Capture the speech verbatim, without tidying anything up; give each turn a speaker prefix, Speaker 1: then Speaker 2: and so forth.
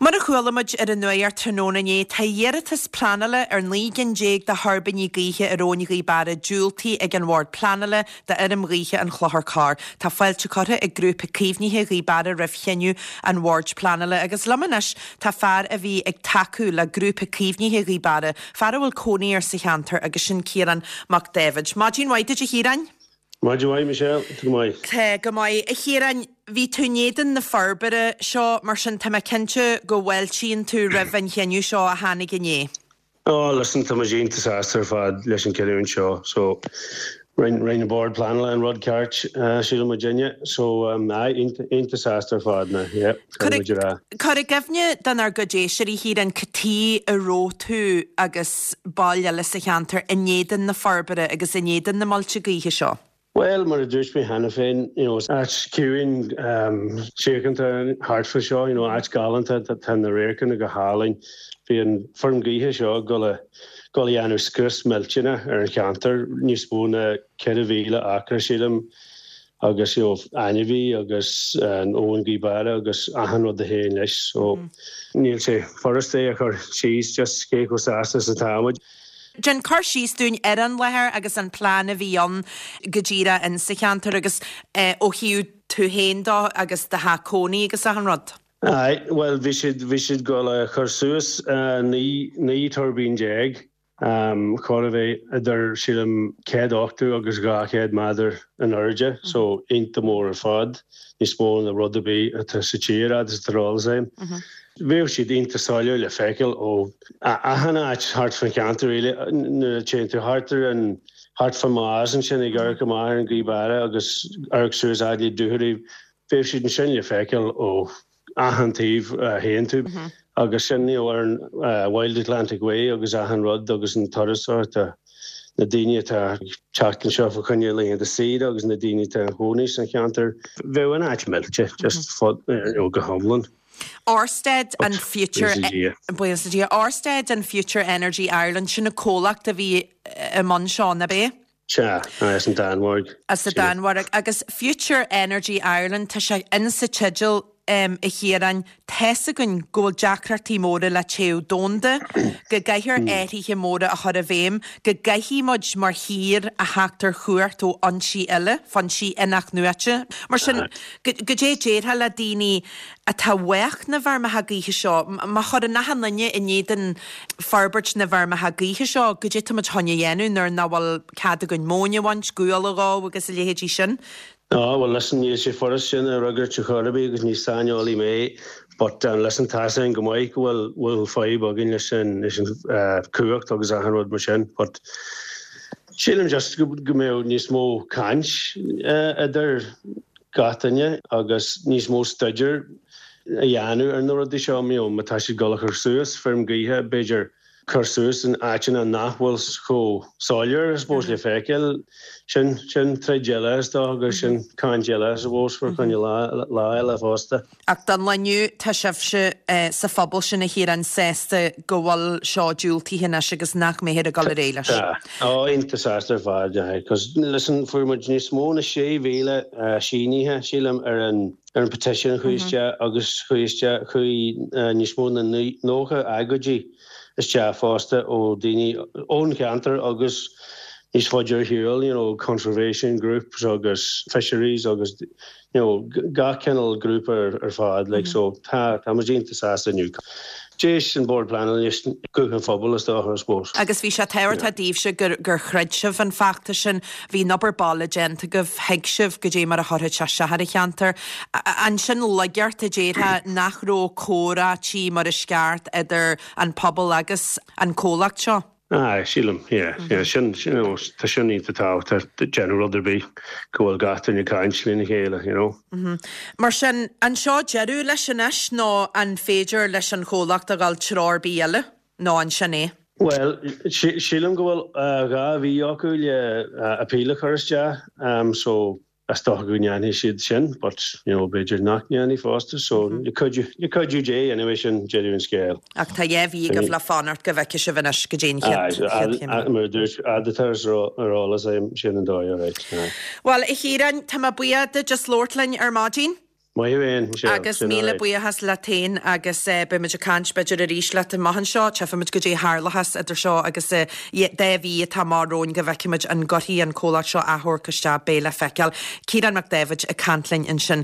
Speaker 1: Mar a chuala muid ar an nuacht tráthnóna inné, tá iarratas pleanála ar naoi gcinn déag de thuirbíní gaoithe ar Abhainn Ghaoth Beara diúltaithe ag an Bhord Pleanála d'fheirm ghaoithe an Chlochair Corr. Tá fáilte curtha ag Grúpa Caomhnaithe Ghaoth Beara roimh chinneadh an Bhoird Pleanála. Agus liom anois tá fear a bhí ag tacú le Grúpa Caomhnaithe Ghaoth Beara, fear a bhfuil cónaí air sa cheantar agus sin Ciarán Mac Daibhéid. Maidin mhaith duit a Chiaráin.
Speaker 2: Maidin mhaith Michelle, go maith.
Speaker 1: Tá go maith a Chiaráin, bhí tú in éadan na forbartha seo mar sin tá mé cinnte go bhfáiltíonn tú roimh an chinneadh seo a tháinig inné.
Speaker 2: Oh, listen tá muid iontach sásta ar fad leis an cinneadh seo, so rinne an Bord Pleanála an rud ceart sílim muidinne, so um, iontach sásta ar fad na yeah,
Speaker 1: Cuir i gcuimhne dár gcuid éisteoirí Chiaráin cad chuige a raibh tú agus baill eile sa cheantar in éadan na forbartha agus in éadan na muilte gaoithe seo.
Speaker 2: Well, mar a dúirt mé cheana féin, you know, áit ciúin um, síochánta thart fá seo, you know, áit galánta tá na radharcanna go hálainn. Bhí an feirm gaoithe seo go le go dhéanamh scrios millteanach ar an cheantar níos mó ná ceithre mhíle acra sílim agus you know, ainmhí agus an Abhainn Ghaoth Beara agus achan rud a théann leis so mm. níl sé furast é a chur síos just cé chomh sásta is atá muid.
Speaker 1: Déan cur síos dúinn ar an láthair agus an plean a bhí ann go díreach in sa cheantar agus eh, ó thaobh tú féin de agus do theach cónaí agus achan rud.
Speaker 2: Aye, well bhí siad bhí siad go le chur suas uh, naoi tuirbín déag um, chun a bheith idir sílim céad ochtó agus dhá chéad méadar in airde, mm -hmm. so iontach mór ar fad, níos mó ná rud ar bith atá sa tír agus rá. Mm -hmm. Bheadh siad iontach soiléir le feiceáil ó achan áit thart fan cheantar nuair a théann tú thart ar an thart fan más ansin ag amharc amach ar an Ghaoth Beara agus amharc suas le Dúchoraidh bheadh siad ansin le feiceáil ó achan taobh a théann tú. Mm -hmm. agus sin ar an uh, Wild Atlantic Way agus achan rud agus an turas na daoine atá teacht anseo fá choinne laethanta saoire agus na daoine atá ina gcónaí san cheantar bheadh an áit millte just fud go hiomlán.
Speaker 1: Orsted and Future Orsted and Future Energy Ireland sin na comhlacht a bhí i mbun seo na bé?
Speaker 2: Sea as an Danmhairg.
Speaker 1: As an Danmhairg agus Future Energy Ireland tá sé insa teideal um, a Chiaráin tá 'fhios againn go bhfuil deacrachtaí móra le téamh domhanda, go gcaithfear athruithe móra a chur i bhfeidhm, go gcaithfidh muid mar thír a theacht ar chumhacht ó fhoinsí eile, foinsí in-athnuaite. Mar sin cad é déarfá le daoine atá uath na bhfeirmeacha gaoithe seo, má chuireann achan duine in éadan forbairt na bhfeirmeacha gaoithe seo, cad é tá muid chun a dhéanamh nuair nach bhfuil cead againn móin a bhaint, gual a dhó agus a leithéidí sin.
Speaker 2: Oh, well listen níl sé furast sin a fhreagairt ar chor ar bith agus ní saineolaí mé, but um, listen tá sin go maith go bhfuil bhfuil fadhb againn leis sin leis an uh, cumhacht agus achan rud mar sin, but sílim just go go mbeadh níos mó caint uh, idir gach duine agus níos mó staidéar a dhéanamh ar na rudaí seo mí má tá siad ag cur suas feirm gaoithe b'fhéidir cur suas in áiteanna nach bhfuil chomh soiléir suppose le feiceáil sin sin troid eile is dócha agus sin caint eile suppose fá choinne lá lá eile fosta.
Speaker 1: Ach don lá inniu tá sibhse eh, sa phobal sin a Chiaráin sásta go bhfuil seo diúltaithe anois agus nach mbeifear ag dul ar aghaidh leis.
Speaker 2: Á iontach sásta ar fad cos listen fuair muid níos mó na sé mhíle sínithe sílim ar an ar an petition chuaigh isteach agus chuaigh isteach chuaigh níos mó na nócha agóidí isteach fosta ó daoine ón cheantar agus níos faide ar shiúl, you know, conservation groups agus fisheries agus you know, gach cineál grúpa ar, ar fad like, mm -hmm. so tá tá muid iontach sásta inniu. D'éist an Bord Pleanála leis guth an phobail is dócha suppose.
Speaker 1: Agus bhí sé tábhachtach daoibhse gur gur chreid sibh an feachtas sin, bhí an obair baile déanta agaibh thuig sibh goidé mar a chuirfeadh sé isteach ar an cheantar. Ansin laigeacht a déarfá nach raibh comhráití mar is ceart idir an pobal agus an comhlacht seo.
Speaker 2: Ah, sílim, yeah, mm -hmm. yeah, sin sin tá sin iontach tábhachtach déanamh rud ar bith go bhfuil gach duine caint lena chéile, you know.
Speaker 1: Mm -hmm. Mar sin an seo deireadh leis anois nó an féidir leis an chomhlacht a ghabháil treo ar bith eile nó an sin é?
Speaker 2: Well, sílim go bhfuil uh, dhá mhí acu le uh, appeal a chur isteach, um, so is dócha go ndéanfaidh siad sin, but you know, b'fhéidir nach ndéanfaidh fosta, so mm -hmm. cuidiú le cuidiú Dé anyway sin deireadh an scéil.
Speaker 1: Ach tá dhá mhí agaibh le fanacht go bhfeicfidh sibh anois go dtí an
Speaker 2: Mar dúirt adatar ar eolas sin an dóigh right.
Speaker 1: Well a Chiaráin tá mé buíoch duit as labhairt linn ar maidin.
Speaker 2: Maith thú féin, Michelle.
Speaker 1: Agus míle buíochas leat féin agus beimid ag caint b'fhéidir arís leat amach anseo. Tchífimid goidé a tharlóchas idir seo agus dhá mhí atá amach romhainn go bhfeicfimid an gcuirfidh an comhlacht seo achomharc isteach, beidh le feiceáil. Ciarán Mac Dáibhid ag caint linn ansin.